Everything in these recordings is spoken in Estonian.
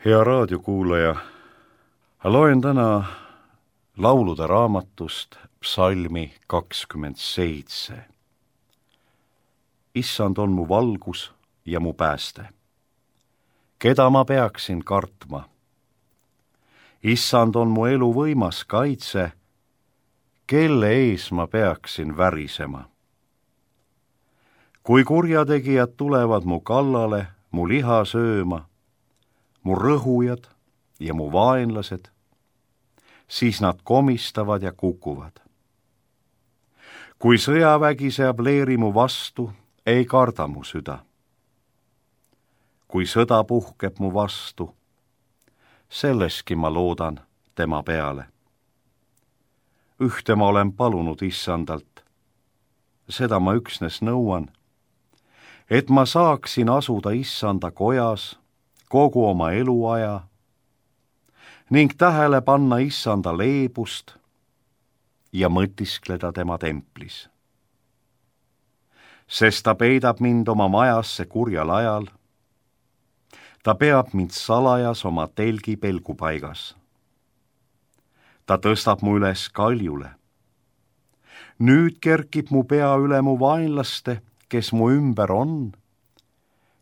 Hea raadiokuulaja, loen täna laulude raamatust psalmi 27. Issand on mu valgus ja mu pääste. Keda ma peaksin kartma? Issand on mu elu võimas kaitse, kelle ees ma peaksin värisema. Kui kurjategijad tulevad mu kallale, mu liha sööma, mu rõhujad ja mu vaenlased, siis nad komistavad ja kukuvad. Kui sõjavägi seab leeri mu vastu, ei karda mu süda. Kui sõda puhkeb mu vastu, selleski ma loodan tema peale. Ühte ma olen palunud Issandalt, seda ma üksnes nõuan, et ma saaksin asuda Issanda kojas kogu oma eluaja ning tähele panna Issanda leebust ja mõtiskleda tema templis. Sest ta peidab mind oma majasse kurjal ajal, ta peab mind salajas oma telgi pelgupaigas. Ta tõstab mu üles kaljule. Nüüd kerkib mu pea üle mu vaenlaste, kes mu ümber on,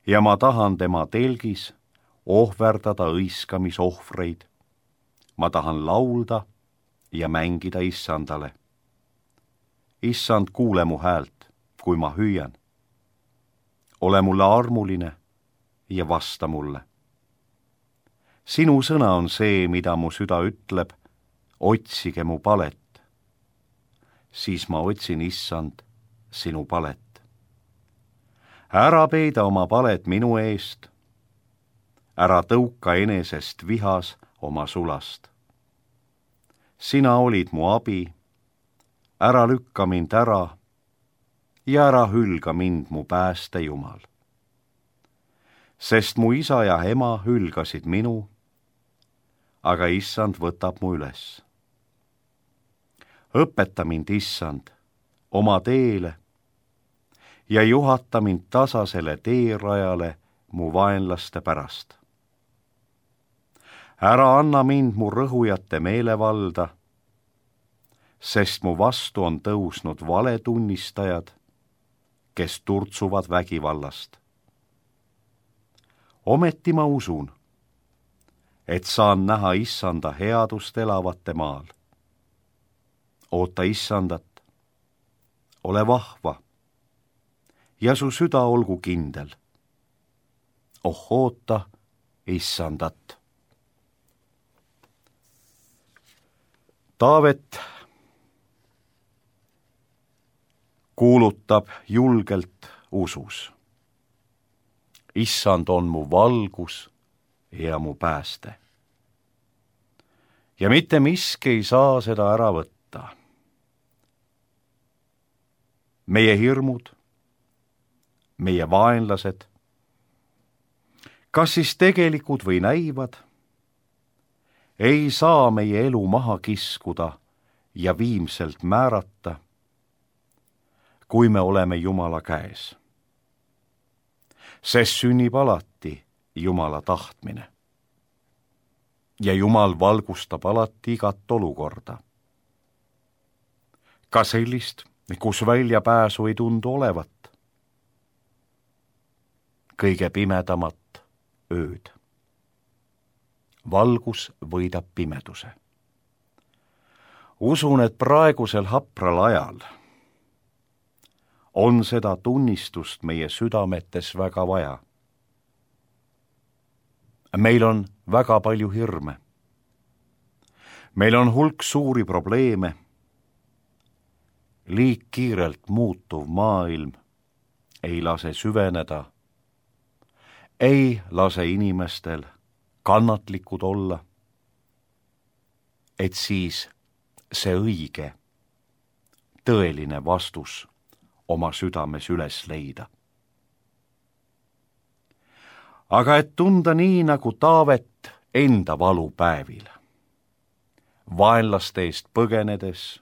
ja ma tahan tema telgis ohverdada õiskamisohvreid. Ma tahan laulda ja mängida Issandale. Issand, kuule mu häält, kui ma hüüan. Ole mulle armuline ja vasta mulle. Sinu sõna on see, mida mu süda ütleb, otsige mu palet. Siis ma otsin, Issand, sinu palet. Ära peida oma palet minu eest, ära tõuka enesest vihas oma sulast. Sina olid mu abi, ära lükka mind ära ja ära hülga mind mu pääste Jumal. Sest mu isa ja ema hülgasid minu, aga Issand võtab mu üles. Õpeta mind, Issand, oma teele ja juhata mind tasasele teerajale mu vaenlaste pärast. Ära anna mind mu rõhujate meelevalda, sest mu vastu on tõusnud valetunnistajad, kes turtsuvad vägivallast. Ometi ma usun, et saan näha Issanda headust elavate maal. Oota Issandat, ole vahva ja su süda olgu kindel. Oh, oota Issandat. Taavet kuulutab julgelt usus. Issand on mu valgus ja mu pääste. Ja mitte miski ei saa seda ära võtta. Meie hirmud, meie vaenlased, kas siis tegelikud või näivad, ei saa meie elu maha kiskuda ja viimselt määrata, kui me oleme Jumala käes. Sest sünnib alati Jumala tahtmine. Ja Jumal valgustab alati igat olukorda. Ka sellist, kus väljapääsu ei tundu olevat. Kõige pimedamat ööd. Valgus võidab pimeduse. Usun, et praegusel hapral ajal on seda tunnistust meie südametes väga vaja. Meil on väga palju hirme. Meil on hulk suuri probleeme. Liig kiirelt muutuv maailm ei lase süveneda, ei lase inimestel kannatlikud olla, et siis see õige, tõeline vastus oma südames üles leida. Aga et tunda nii nagu Taavet enda valupäevil, vaenlaste eest põgenedes,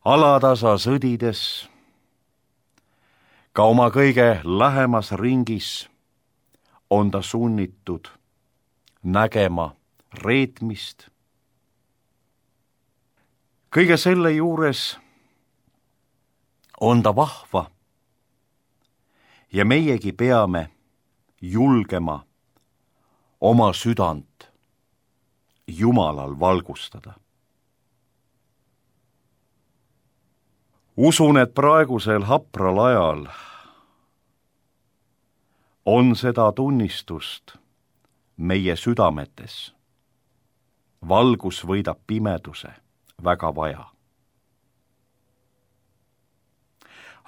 alatasa sõdides, ka oma kõige lähemas ringis on ta sunnitud nägema reetmist. Kõige selle juures on ta vahva ja meiegi peame julgema oma südant Jumalal valgustada. Usun, et praegusel hapral ajal on seda tunnistust meie südametes. Valgus võidab pimeduse väga vaja.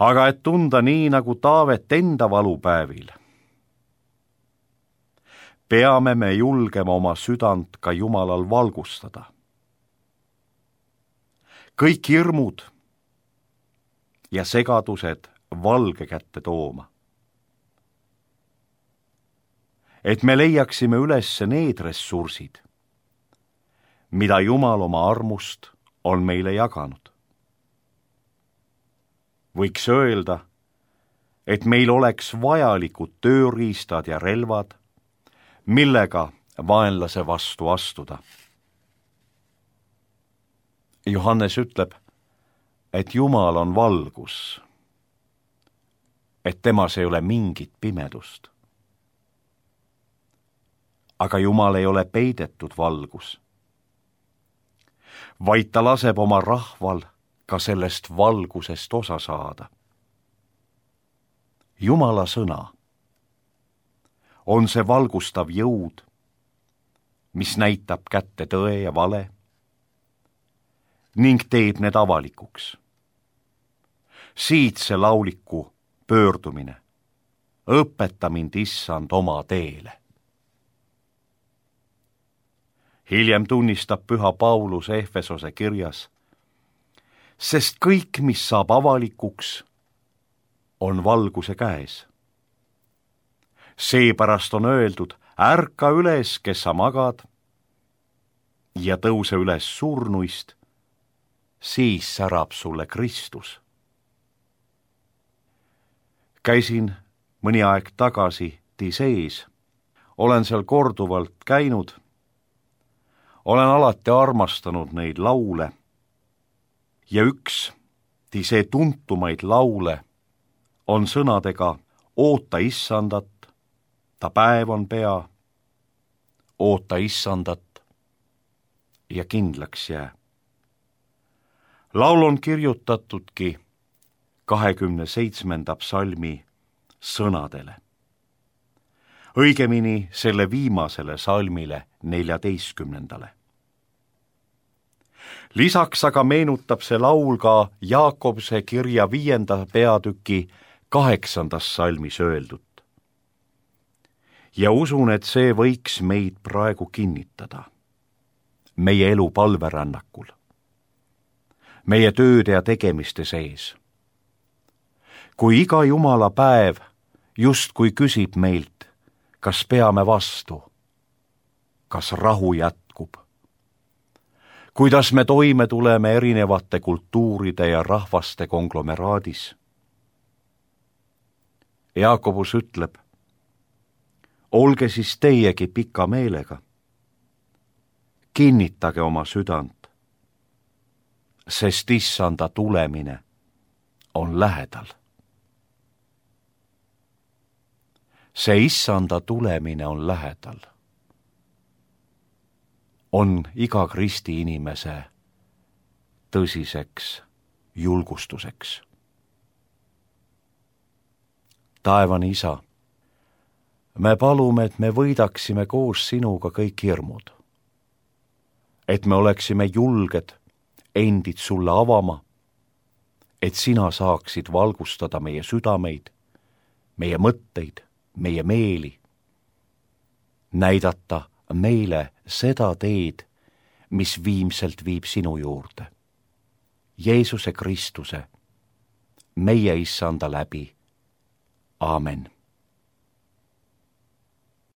Aga et tunda nii nagu Taavet enda valupäevil, peame me julgema oma südant ka Jumalal valgustada. Kõik hirmud ja segadused valge kätte tooma. Et me leiaksime üles need ressursid, mida Jumal oma armust on meile jaganud. Võiks öelda, et meil oleks vajalikud tööriistad ja relvad, millega vaenlase vastu astuda. Johannes ütleb, et Jumal on valgus, et temas ei ole mingit pimedust. Aga Jumal ei ole peidetud valgus, vaid ta laseb oma rahval ka sellest valgusest osa saada. Jumala sõna on see valgustav jõud, mis näitab kätte tõe ja vale ning teeb need avalikuks. Siit see lauliku pöördumine. Õpeta mind, Issand, oma teele. Hiljem tunnistab püha Paulus Efesose kirjas, sest kõik, mis saab avalikuks, on valguse käes. Seepärast on öeldud, ärka üles, kes sa magad, ja tõuse üles surnuist, siis särab sulle Kristus. Käisin mõni aeg tagasi Tisees, olen seal korduvalt käinud, olen alati armastanud neid laule ja üks Tisee tuntumaid laule on sõnadega oota Issandat, ta päev on pea, oota Issandat ja kindlaks jää. Laul on kirjutatudki 27. psalmi sõnadele. Õigemini selle viimasele salmile 14. Lisaks aga meenutab see laul ka Jaakobse kirja 5. peatüki 8. salmis öeldut. Ja usun, et see võiks meid praegu kinnitada. Meie elu palverännakul. Meie tööde ja tegemiste sees. Kui iga Jumala päev justkui küsib meilt, kas peame vastu, kas rahu jätkub, kuidas me toime tuleme erinevate kultuuride ja rahvaste konglomeraadis. Jaakobus ütleb, olge siis teiegi pika meelega, kinnitage oma südant, sest Issanda tulemine on lähedal. See Issanda tulemine on lähedal. On iga Kristi inimese tõsiseks julgustuseks. Taevane Isa, me palume, et me võidaksime koos sinuga kõik hirmud, et me oleksime julged endid sulle avama, et sina saaksid valgustada meie südameid, meie mõtteid, meie meeli, näidata meile seda teed, mis viimselt viib sinu juurde. Jeesuse Kristuse, meie Issanda läbi. Aamen.